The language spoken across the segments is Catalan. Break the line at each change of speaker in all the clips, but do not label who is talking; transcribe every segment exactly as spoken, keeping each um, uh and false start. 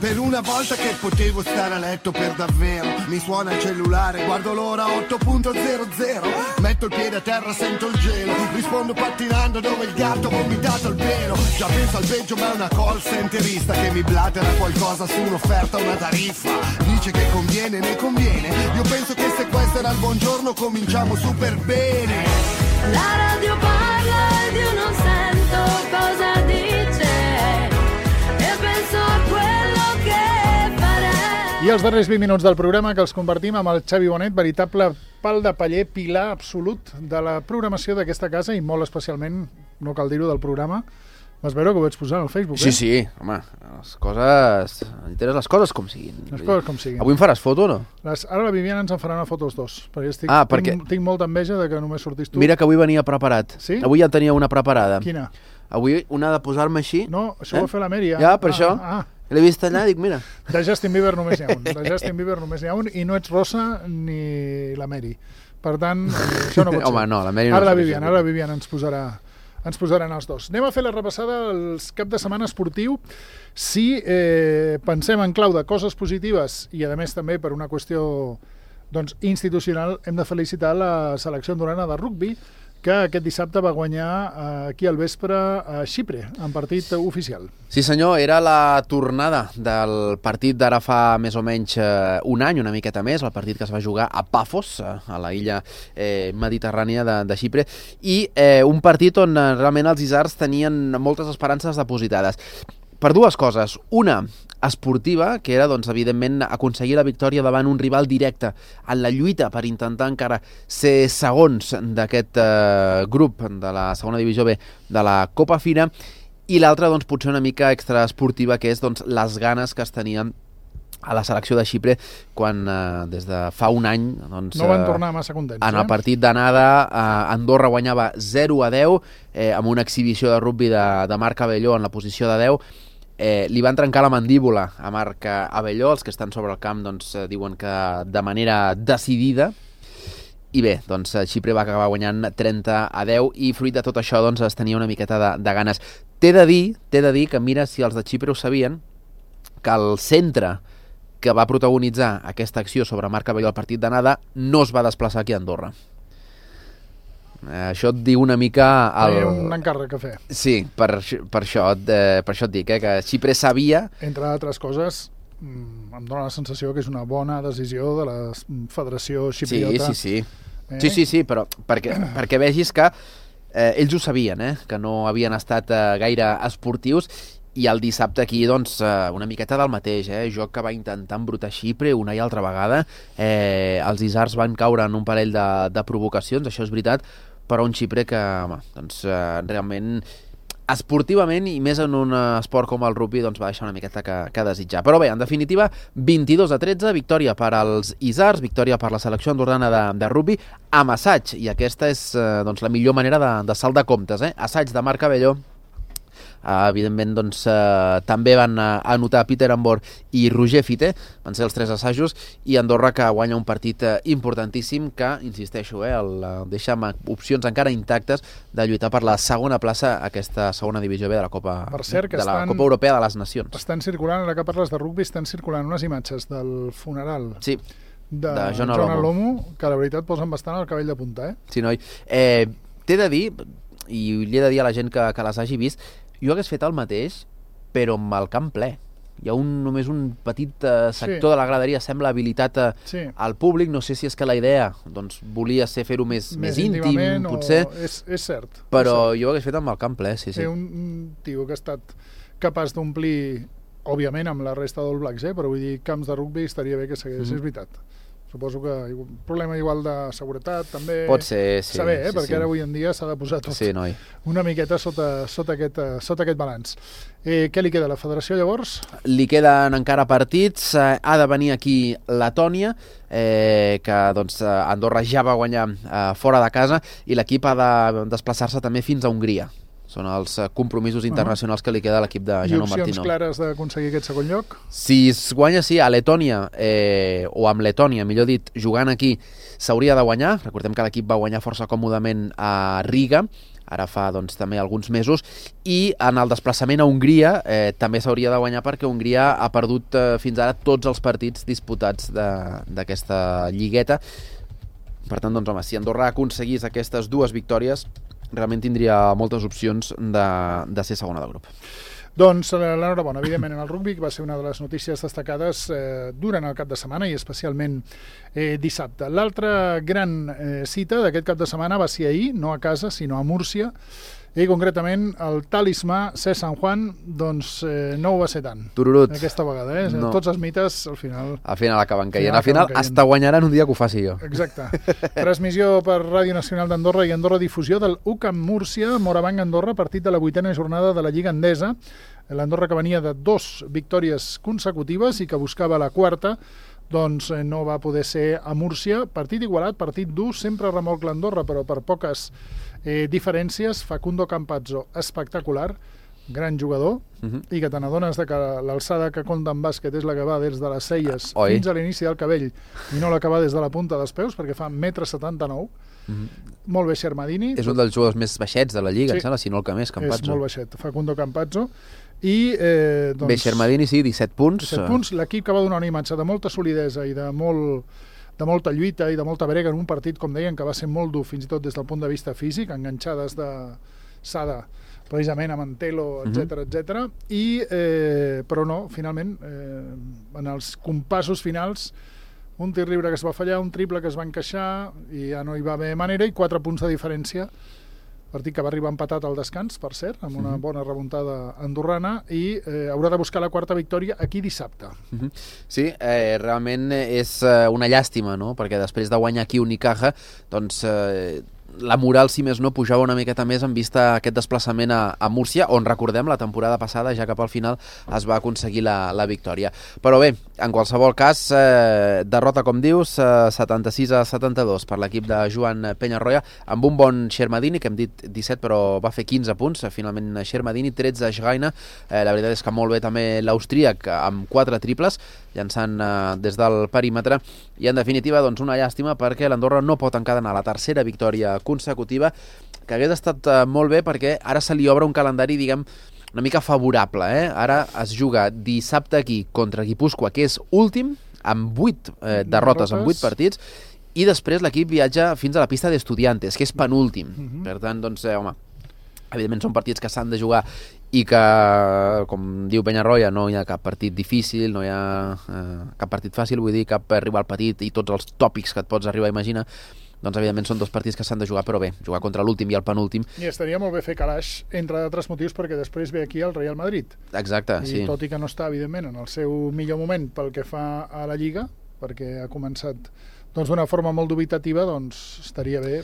Per una volta che potevo stare a letto per davvero. Mi suona il cellulare, guardo l'ora otto punto zero zero. Metto il piede a terra, sento il gelo. Rispondo pattinando dove il gatto ha vomitato il pelo. Già penso al peggio ma è una call centerista che mi blatera qualcosa su un'offerta, una tariffa. Dice che conviene, ne conviene. Io penso che se questo era il buongiorno cominciamo super bene.
La radio parla ed io non sento cosa dice. E penso a quello che farei.
I els darrers vint minuts del programa que els compartim amb el Xavi Bonet, veritable pal de paller, pilar absolut de la programació d'aquesta casa i molt especialment, no cal dir-ho, del programa. Vas veure que ho vaig posar al Facebook,
Sí,
eh?
sí, home, les coses... Enteres les coses com siguin.
Les coses com siguin.
Avui em faràs foto o no?
Les, ara la Viviana ens en farà una foto els dos, perquè, estic,
Ah, perquè-
tinc, tinc molta enveja de que només sortis tu.
Mira que avui venia preparat.
Sí?
Avui ja tenia una preparada.
Quina?
Avui una de posar-me així.
No, això
Eh?
ho va fer la Mèria.
Ja, per
ah,
això.
Ah,
L'he vist allà i dic, mira.
de Justin Bieber només n'hi ha un. De Justin Bieber només n'hi ha un i no ets Rosa ni la Mary. Per tant, eh, això no pot ser.
Home, no, la Mary no
Ara la
surt
Viviana,
això.
ara la Viviana ens posarà ens posaran els dos. Anem a fer la repassada dels cap de setmana esportiu. Si eh, pensem en clau de coses positives i, a més, també per una qüestió doncs, institucional, hem de felicitar la selecció andorrana de rugbi, que aquest dissabte va guanyar eh, aquí al vespre a Xipre, en partit oficial.
Sí senyor, era la tornada del partit d'ara fa més o menys eh, un any, una miqueta més, el partit que es va jugar a Pafos, eh, a la illa eh, mediterrània de, de Xipre, i eh, un partit on eh, realment els isards tenien moltes esperances depositades. Per dues coses. Una, esportiva, que era, doncs, evidentment, aconseguir la victòria davant un rival directe en la lluita per intentar encara ser segons d'aquest eh, grup de la segona divisió B de la Copa Fira, i l'altra, doncs, potser una mica extraesportiva, que és, doncs, les ganes que es tenien a la selecció de Xipre quan eh, des de fa un any doncs,
No van
eh,
tornar massa contents.
en el
eh?
partit d'anada eh, Andorra guanyava zero a deu eh, amb una exhibició de rugbi de, de Marc Abelló en la posició de deu. Eh, li van trencar la mandíbula a Marc Abelló. Els que estan sobre el camp doncs, eh, diuen que de manera decidida. I bé, doncs Xipre va acabar guanyant trenta a deu i fruit de tot això doncs, es tenia una miqueta de, de ganes. T'he de dir, t'he de dir que mira, si els de Xipre ho sabien, que el centre que va protagonitzar aquesta acció sobre Marc Abelló al partit d'anada no es va desplaçar aquí a Andorra. Eh, això et diu una mica... El...
Tenia un encàrrec a fer.
Sí, per, per, això, eh, per això et dic, eh, que Xipre sabia...
Entre altres coses, mm, em dóna la sensació que és una bona decisió de la Federació
Sí,
Xipriota.
sí, sí.
Eh?
Sí, sí, sí, però perquè, perquè vegis que eh, ells ho sabien, eh, que no havien estat eh, gaire esportius, i el dissabte aquí, doncs, eh, una miqueta del mateix, eh? Joc que va intentar embrutar Xipre una i altra vegada. Eh, els isards van caure en un parell de, de provocacions, això és veritat, però un Xipre que, home, doncs, eh, realment, esportivament, i més en un esport com el rugbi, doncs va deixar una miqueta que, que desitjar. Però bé, en definitiva, vint-i-dos a tretze, victòria per als isards, victòria per la selecció andorrana de, de rugbi, amb assaig, i aquesta és eh, doncs, la millor manera de, de saldar comptes, eh? Assaig de Marc Abelló. Uh, evidentment doncs, uh, també van uh, anotar Peter Ambor i Roger Fité, van ser els tres assajos, i Andorra que guanya un partit uh, importantíssim que, insisteixo, eh, el, uh, deixa amb opcions encara intactes de lluitar per la segona plaça a aquesta segona divisió B de la Copa,
Per cert, que
de la
estan-
Copa Europea de les Nacions.
Estan circulant, ara que parles de rugbi, estan circulant unes imatges del funeral
Sí,
de,
de John
John
Alomo.
Alomo, que la veritat posen bastant el cabell de punta, eh?
sí, noi. Eh, T'he de dir, i li he de dir a la gent que, que les hagi vist, jo hagués fet el mateix, però amb el camp ple. Hi ha un, només un petit eh, sector
Sí.
de la graderia, sembla habilitat a,
Sí.
al públic. No sé si és que la idea doncs, volia ser fer-ho més, més, íntim,
íntimament,
potser,
o... És, és cert.
però
és cert.
jo ho hagués fet amb el camp ple, sí, sí.
Té un, un tio que ha estat capaç d'omplir, òbviament amb la resta dels Blacks, eh? Però vull dir, camps de rugbi estaria bé que segueix,
Mhm.
és veritat. Suposo que un problema igual de seguretat també.
Pot ser, sí.
Saber, eh?
sí,
Perquè
sí.
ara avui en dia s'ha de posar tot
Sí, noi.
una miqueta sota, sota, aquest, eh, sota aquest balanç. Eh, què li queda a la federació llavors?
Li queden encara partits, eh, ha de venir aquí Letònia, eh, que doncs, eh, Andorra ja va guanyar eh, fora de casa, i l'equip ha de desplaçar-se també fins a Hongria. Són els compromisos internacionals que li queda a l'equip de Jaume Martino.
I opcions clares d'aconseguir aquest segon lloc?
Si es guanya, sí, a Letònia, eh, o amb Letònia, millor dit, jugant aquí, s'hauria de guanyar. Recordem que l'equip va guanyar força còmodament a Riga, ara fa doncs, també alguns mesos, i en el desplaçament a Hongria eh, també s'hauria de guanyar perquè Hongria ha perdut eh, fins ara tots els partits disputats d'aquesta lligueta. Per tant, doncs, home, si Andorra aconseguís aquestes dues victòries, realment tindria moltes opcions de, de ser segona de grup.
Doncs l'enhorabona, evidentment, en el rugby, que va ser una de les notícies destacades eh, durant el cap de setmana i especialment eh, dissabte. L'altra gran eh, cita d'aquest cap de setmana va ser ahir, no a casa, sinó a Múrcia, i concretament el talismà C. San Juan, doncs eh, no ho va ser tant.
Tururut.
Aquesta vegada, eh? No. Tots els mites, al final...
Al final acaben caient. Al final, al final hasta guanyaran un dia que ho faci jo.
Exacte. Transmissió per Ràdio Nacional d'Andorra i Andorra Difusió del U C A M Múrcia, Morabanc Andorra, partit de la vuitena jornada de la Lliga Endesa. L'Andorra, que venia de dos victòries consecutives i que buscava la quarta, doncs no va poder ser a Múrcia. Partit igualat, partit dur, sempre remolc l'Andorra, però per poques eh, diferències. Facundo Campazzo, espectacular, gran jugador, uh -huh. i que te n'adones que l'alçada que compta en bàsquet és la que va des de les celles Oi. fins a l'inici del cabell i no la que va des de la punta dels peus, perquè fa un metre setanta-nou. Uh -huh. Molt bé Xermadini.
És un dels jugadors més baixets de la Lliga, sí. em sembla, si no el que més, Campazzo.
És molt baixet, Facundo Campazzo. I, eh, doncs,
bé, Xermadini, sí, disset punts.
disset punts. L'equip que va donar una imatge de molta solidesa i de, molt, de molta lluita i de molta brega en un partit, com deien, que va ser molt dur, fins i tot des del punt de vista físic, enganxades de Sada, precisament a Mantelo, etcètera, uh -huh. etcètera. I, eh, però no, finalment, eh, en els compassos finals, un tir lliure que es va fallar, un triple que es va encaixar, i ja no hi va haver manera, i quatre punts de diferència. Partit que va arribar empatat al descans, per cert, amb una bona remuntada andorrana, i eh, haurà de buscar la quarta victòria aquí dissabte.
Uh -huh. Sí, eh, realment és eh, una llàstima, no?, perquè després de guanyar aquí Unicaja, doncs... Eh, la moral, si més no, pujava una miqueta més en vista aquest desplaçament a, a Múrcia, on, recordem, la temporada passada, ja cap al final, es va aconseguir la, la victòria. Però bé, en qualsevol cas, eh, derrota, com dius, eh, setanta-sis a setanta-dos per l'equip de Joan Peñarroya, amb un bon Xermadini, que hem dit disset, però va fer quinze punts, finalment Xermadini, tretze Schreiner, eh, la veritat és que molt bé també l'Austríac, amb quatre triples, llançant eh, des del perímetre, i en definitiva, doncs, una llàstima perquè l'Andorra no pot encadenar la tercera victòria consecutiva, que hagués estat uh, molt bé perquè ara se li obre un calendari, diguem, una mica favorable, eh? Ara es juga dissabte aquí contra Guipúscoa, que és últim, amb vuit eh, derrotes, amb vuit partits, i després l'equip viatja fins a la pista d'Estudiantes, que és penúltim. Uh-huh. Per tant, doncs, eh, home, evidentment són partits que s'han de jugar i que, com diu Peñarroya, no hi ha cap partit difícil, no hi ha eh, cap partit fàcil, vull dir, cap rival petit i tots els tòpics que et pots arribar a imaginar. Doncs, evidentment, són dos partits que s'han de jugar, però bé, jugar contra l'últim i el penúltim.
I estaria molt bé fer calaix, entre d'altres motius, perquè després ve aquí el Real Madrid.
Exacte,
I
sí.
I tot i que no està, evidentment, en el seu millor moment pel que fa a la Lliga, perquè ha començat doncs d'una forma molt dubitativa, doncs estaria bé.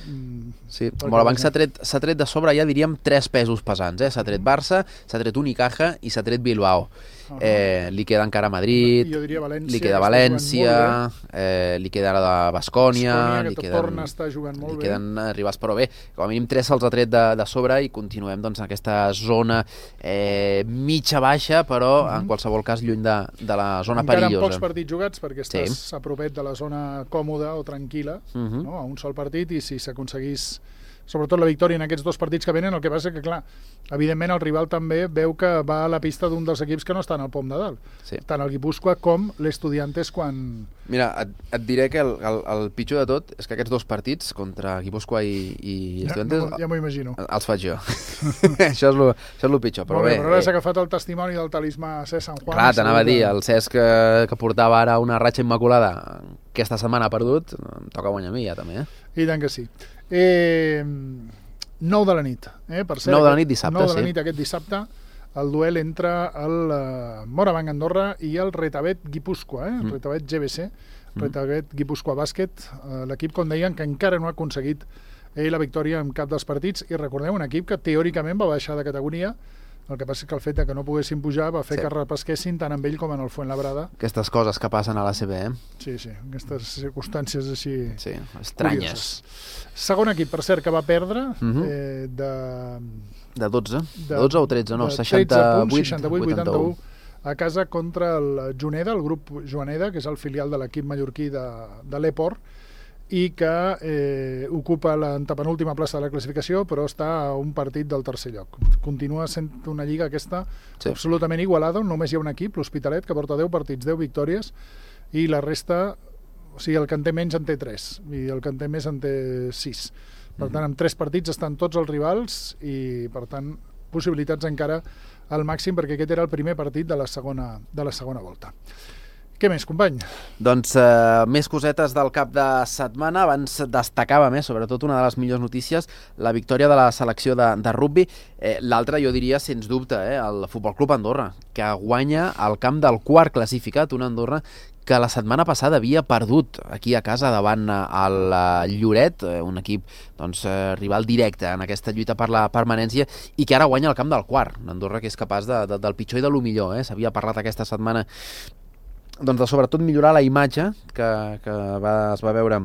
Sí, Morabanc s'ha tret, s'ha tret de sobre, ja diríem, tres pesos pesants, eh? S'ha tret Barça, s'ha tret Unicaja i s'ha tret Bilbao. Uh -huh. eh, li queda encara Madrid,
jo diria València,
li queda València, eh, li queda la de Bascònia,
li queden, torna a estar jugant molt
li
bé.
queden rivals, però bé, com a mínim tres se'ls ha tret de, de sobre i continuem doncs, en aquesta zona eh, mitja-baixa, però uh -huh. en qualsevol cas lluny de, de la zona
encara
perillosa.
Encara amb pocs partits jugats, perquè estàs
sí.
a propet de la zona còmoda o tranquil·la, uh -huh. no? A un sol partit, i si s'aconseguís sobretot la victòria en aquests dos partits que venen, el que passa que, clar, evidentment el rival també veu que va a la pista d'un dels equips que no estan al pom de dalt.
Sí.
Tant el Guipúscoa com l'Estudiantes quan...
Mira, et, et diré que el, el, el pitjor de tot és que aquests dos partits, contra Guipúscoa i, i Estudiantes...
Ja, ja m'ho imagino.
Els faig jo. això, és lo, això és lo pitjor, però bé.
bé però ara s'ha agafat el testimoni del talismà Cesc San Juan.
Clar, t'anava a dir, el Cesc que, que portava ara una ratxa immaculada, aquesta setmana ha perdut, em toca guanyar a mi ja també, eh?
I tant que sí. Eh, nou de la nit, eh? Per cert,
nou de la nit dissabte,
nou de la
sí.
nit aquest dissabte, el duel entre el uh, Morabanc Andorra i el Retabet Guipúscoa, eh? Mm. Retabet G B C, Retabet mm. Guipúscoa Bàsquet, uh, l'equip, com deien, que encara no ha aconseguit eh, la victòria en cap dels partits, i recordeu, un equip que teòricament va baixar de categoria. El que passa és que el fet de que no poguessin pujar va fer sí. que repesquessin tant amb ell com en el Fuenlabrada.
Aquestes coses que passen a l'A C B, eh?
Sí, sí, aquestes circumstàncies així...
Sí, estranyes.
Curioses. Segon equip, per cert, que va perdre uh -huh. eh, de...
De dotze?
De,
de dotze o tretze, no?
de
seixanta-vuit,
punts, seixanta-vuit vuitanta-u a casa contra el Juneda, el grup Joaneda, que és el filial de l'equip mallorquí de, de l'Eport, i que eh, ocupa l'antepenúltima plaça de la classificació, però està a un partit del tercer lloc. Continua sent una lliga aquesta sí. absolutament igualada, on només hi ha un equip, l'Hospitalet, que porta deu partits, deu victòries, i la resta, o sigui, el que en té menys en té tres, i el que en té més en té sis. Per tant, amb tres partits estan tots els rivals i, per tant, possibilitats encara al màxim, perquè aquest era el primer partit de la segona, de la segona volta. Què més, company?
Doncs eh, més cosetes del cap de setmana. Abans destacava més, sobretot una de les millors notícies, la victòria de la selecció de, de rugby. Eh, L'altra, jo diria, sens dubte, eh, el Futbol Club Andorra, que guanya al camp del quart classificat, un Andorra que la setmana passada havia perdut aquí a casa davant el Lloret, un equip doncs, rival directe en aquesta lluita per la permanència, i que ara guanya al camp del quart. Andorra que és capaç de, de, del pitjor i de lo millor. Eh? S'havia parlat aquesta setmana doncs, de sobretot millorar la imatge que, que va, es va veure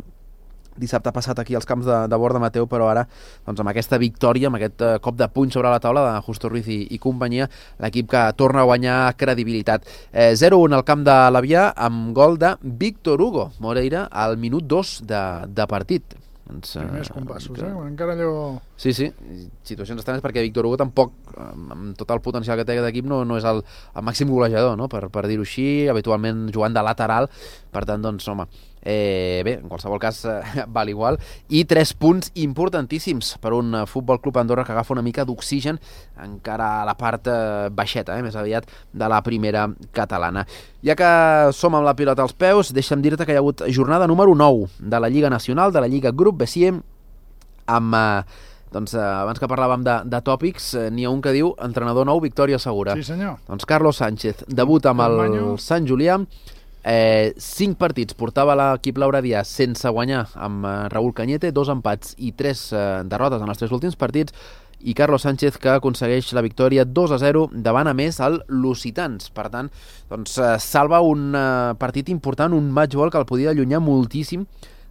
dissabte passat aquí als camps de, de Borda Mateu, però ara doncs, amb aquesta victòria, amb aquest uh, cop de puny sobre la taula de Justo Ruiz i, i companyia, l'equip que torna a guanyar credibilitat. Eh, zero un al camp de l'Avià amb gol de Víctor Hugo Moreira al minut dos de, de partit. Doncs,
primers compassos, eh? Encara allò...
Sí, sí, situacions estranyes perquè Víctor Hugo tampoc, amb tot el potencial que té d'equip, no, no és el, el màxim golejador, no? per, per dir-ho així, habitualment jugant de lateral, per tant, doncs, home, eh, bé, en qualsevol cas eh, val igual, i tres punts importantíssims per un Futbol Club Andorra que agafa una mica d'oxigen encara a la part eh, baixeta, eh, més aviat de la primera catalana. Ja que som amb la pilota als peus, deixa'm dir-te que hi ha hagut jornada número nou de la Lliga Nacional, de la Lliga Grup B C I E, amb... Eh, doncs eh, abans que parlàvem de, de tòpics, eh, n'hi ha un que diu entrenador nou, victòria segura.
Sí, senyor.
Doncs Carlos Sánchez debuta amb el, el Sant Julià, eh, cinc partits portava l'equip lauradià sense guanyar amb eh, Raúl Cañete, dos empats i tres eh, derrotes en els tres últims partits, i Carlos Sánchez que aconsegueix la victòria dos a zero davant a més el Lusitans. Per tant, doncs, eh, salva un eh, partit important, un match ball que el podia allunyar moltíssim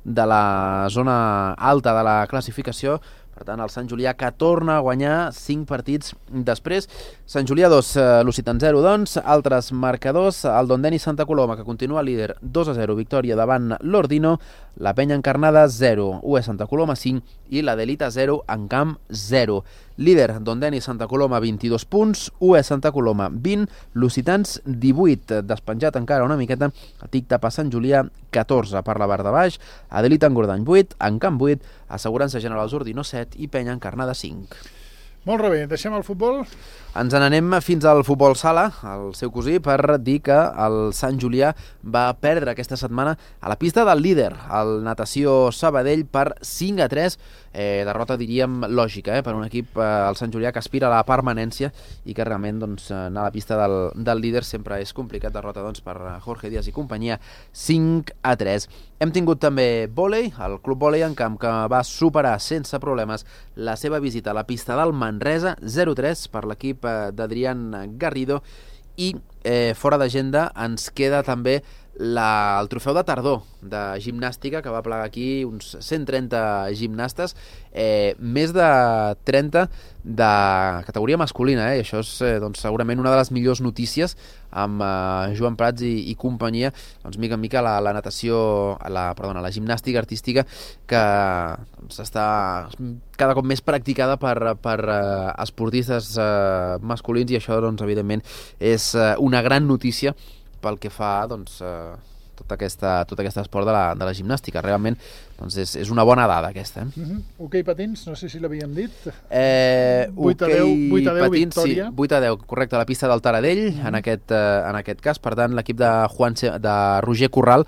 de la zona alta de la classificació. Per tant, el Sant Julià que torna a guanyar cinc partits després. Sant Julià dos, eh, Lusitans zero, doncs. Altres marcadors, el Dondeni Santa Coloma, que continua líder dos a zero, victòria davant l'Ordino. La Penya Encarnada zero, U E Santa Coloma cinc i la Delita zero, en camp zero. Líder, Dondeni Santa Coloma, vint-i-dos punts, U E Santa Coloma, vint, Lusitans, divuit, despenjat encara una miqueta, a Tic-Tapa Sant Julià, catorze per la part de baix, Adelita Engordany, vuit, en camp vuit, Assegurança Generals Ordino, set i Penya Encarnada, cinc.
Molt bé, deixem el futbol?
Ens n'anem fins al futbol sala, el seu cosí, per dir que el Sant Julià va perdre aquesta setmana a la pista del líder, el Natació Sabadell, per cinc a tres, eh, derrota diríem lògica, eh, per un equip, eh, el Sant Julià, que aspira a la permanència i que realment doncs, anar a la pista del, del líder sempre és complicat. Derrota doncs, per Jorge Díaz i companyia, cinc a tres. Hem tingut també vòlei, el Club Vòlei en Camp, que va superar sense problemes la seva visita a la pista del Manresa, zero a tres per l'equip d'Adrián Garrido, i eh, fora d'agenda ens queda també la, el trofeu de tardor de gimnàstica, que va plegar aquí uns cent trenta gimnastes, eh, més de trenta de categoria masculina, eh? I això és eh, doncs, segurament una de les millors notícies amb eh, Joan Prats i, i companyia, doncs mica en mica la, la natació, la, perdona, la gimnàstica artística que doncs, està cada cop més practicada per, per eh, esportistes eh, masculins, i això doncs, evidentment és eh, una gran notícia pel que fa doncs, eh, tot, aquesta, tot aquest esport de la, de la gimnàstica. Realment doncs, és, és una bona dada aquesta. Eh?
Uh-huh. Hoquei patins, no sé si l'havíem dit.
Eh,
vuit a deu, vuit a deu
patins,
victòria.
Sí, vuit a deu, correcte, a la pista del Taradell, uh-huh. en, aquest, eh, en aquest cas. Per tant, l'equip de, Juan, de Roger Corral,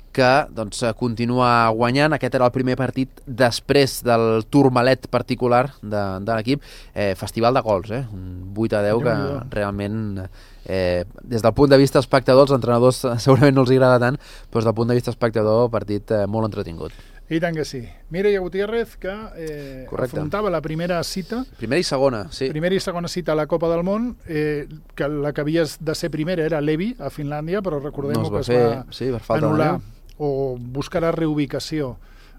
que doncs, continua guanyant. Aquest era el primer partit després del turmalet particular de, de l'equip. Eh, festival de gols, eh? Un vuit a deu que realment, eh, des del punt de vista espectador, els entrenadors segurament no els agrada tant, però des del punt de vista espectador, partit eh, molt entretingut.
I tant que sí. Mireia Gutiérrez, que eh, afrontava la primera cita.
Primera i segona, sí.
Primera i segona cita a la Copa del Món, eh, que la que havies de ser primera era Levi, a Finlàndia, però recordem
no es
que es
fer,
va
sí, per falta
anul·lar
de
o buscar la reubicació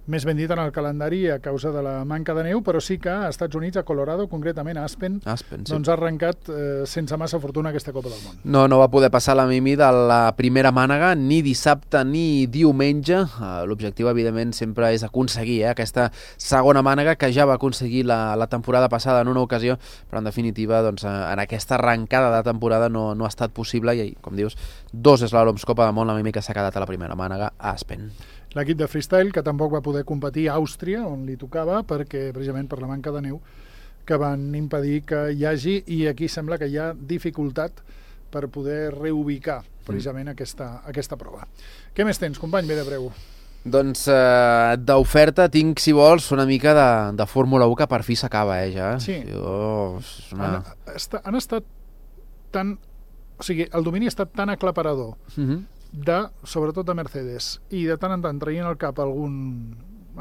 més ben dit en el calendari a causa de la manca de neu, però sí que a Estats Units, a Colorado, concretament a Aspen,
Aspen sí.
doncs ha arrencat eh, sense massa fortuna aquesta Copa del Món.
No, no va poder passar la Mimi de la primera mànega ni dissabte ni diumenge. Uh, L'objectiu, evidentment, sempre és aconseguir eh, aquesta segona mànega que ja va aconseguir la, la temporada passada en una ocasió, però en definitiva doncs, en aquesta arrencada de temporada no, no ha estat possible i, com dius, dos eslaloms Copa del Món, la Mimi que s'ha quedat a la primera mànega a Aspen.
L'equip de freestyle, que tampoc va poder competir a Àustria, on li tocava, perquè precisament per la manca de neu que van impedir que hi hagi, i aquí sembla que hi ha dificultat per poder reubicar precisament mm. aquesta, aquesta prova. Què més tens, company? Ve de breu.
Doncs eh, d'oferta tinc, si vols, una mica de, de Fórmula u que per fi s'acaba, eh, ja.
Sí.
Jo, una...
han, esta, han estat tan... O sigui, el domini ha estat tan aclaparador
Mm-hmm.
de, sobretot de Mercedes, i de tant en tant traient el cap algun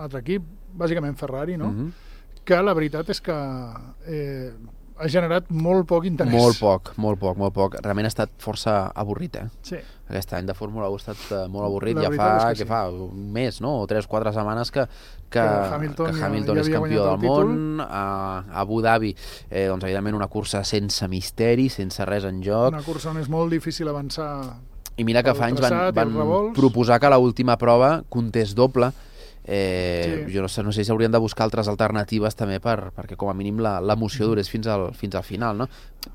altre equip, bàsicament Ferrari, no?
Mm-hmm.
Que la veritat és que eh, ha generat molt poc interès.
Molt poc, molt poc, molt poc. Realment ha estat força avorrit, eh?
Sí.
Aquest any de Fórmula u ha estat uh, molt avorrit.
La
Ja
veritat
fa,
és que
que
sí.
fa un mes, no? O tres, quatre setmanes que, que,
Que Hamilton
que
ja-
Hamilton
ja
és
havia
campió
guanyat
del
el
món. A, a Abu Dhabi, eh, doncs, evidentment, una cursa sense misteri, sense res en joc.
Una cursa on és molt difícil avançar.
I mira que
el
fa anys van,
traçat i
van
els revolts.
proposar que a l'última prova comptés doble. Eh,
Sí.
Jo no sé, no sé si haurien de buscar altres alternatives també per, perquè com a mínim la- l'emoció durés fins al, fins al final, no?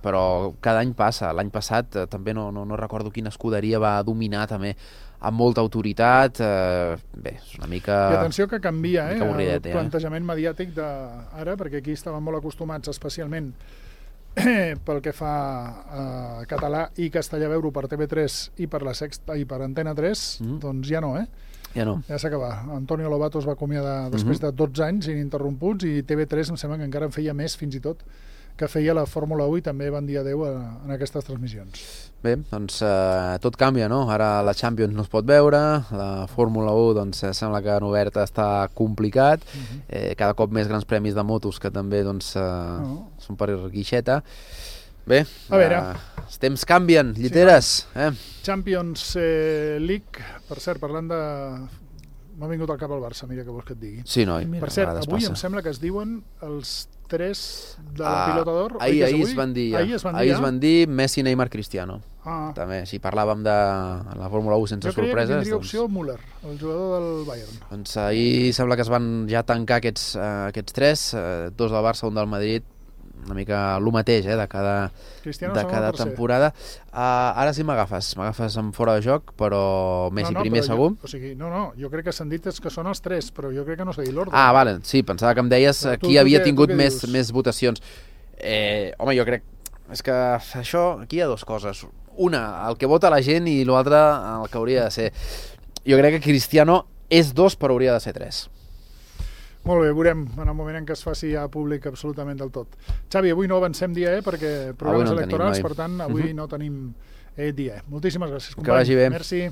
Però cada any passa. L'any passat eh, també no, no, no recordo quina escuderia va dominar també amb molta autoritat. Eh, bé, és una mica...
I atenció que canvia, eh,
mica avorridet,
el
eh?
plantejament mediàtic d'ara, perquè aquí estaven molt acostumats, especialment pel que fa a català i castellà, veure per T V tres i per la Sexta i per Antena tres,
Mhm.
doncs ja no, eh?
Ja no.
Ja s'ha acabat. Antonio Lobato es va acomiadar després
Mhm.
de dotze anys ininterromputs, i T V tres em sembla que encara en feia més, fins i tot, que feia la Fórmula u, i també van dir adeu a, en aquestes transmissions.
Bé, doncs eh, tot canvia, no? Ara la Champions no es pot veure, la Fórmula u doncs, eh, sembla que en oberta està complicat,
Mhm.
eh, cada cop més grans premis de motos que també doncs, eh,
No.
són per guixeta. Bé,
A veure.
eh, els temps canvien, lliteres. Eh?
Champions eh, League, per cert, parlant de... M'ha vingut al cap el Barça, mira què vols que et digui.
Sí, noi, mira,
Per cert,
a vegades
avui
passa.
em sembla que es diuen els tres de la
Ah,
pilota d'or. oi
ahir,
que és
ahir
avui?
es van dir, ja.
Ahir es van dir,
ahir
ja?
es van dir Messi, Neymar, Cristiano.
Ah,
També, si parlàvem de la Fórmula u sense
jo creia que
sorpreses,
tindria
doncs,
opció Müller, el jugador del Bayern.
doncs ahir sembla que es van ja tancar aquests, eh, aquests tres, eh, dos del Barça, un del Madrid, una mica el mateix eh, de cada,
Cristiano
de
segon
cada
o tercer.
temporada. Uh, ara sí m'agafes, m'agafes en fora de joc, però Messi
no, no,
primer,
però
segur.
Jo, o sigui, no, no, jo crec que s'han dit és que són els tres, però jo crec que no s'ha dit l'ordre.
Ah, vale, sí, pensava que em deies
Però tu-
qui
tu
havia
què- tu
tingut
què
més,
dius?
més votacions. Eh, home, jo crec... És que això, aquí hi ha dues coses. Una, el que vota la gent, i l'altre, el que hauria de ser. Jo crec que Cristiano és dos, però hauria de ser tres.
Molt bé, veurem en el moment en què es faci ja públic absolutament del tot. Xavi, avui no avancem dia, eh, perquè programes
no en tenim,
electorals,
noi.
per tant, avui
Mhm.
no tenim eh, dia. Moltíssimes gràcies,
Que
company.
vagi bé.
Merci.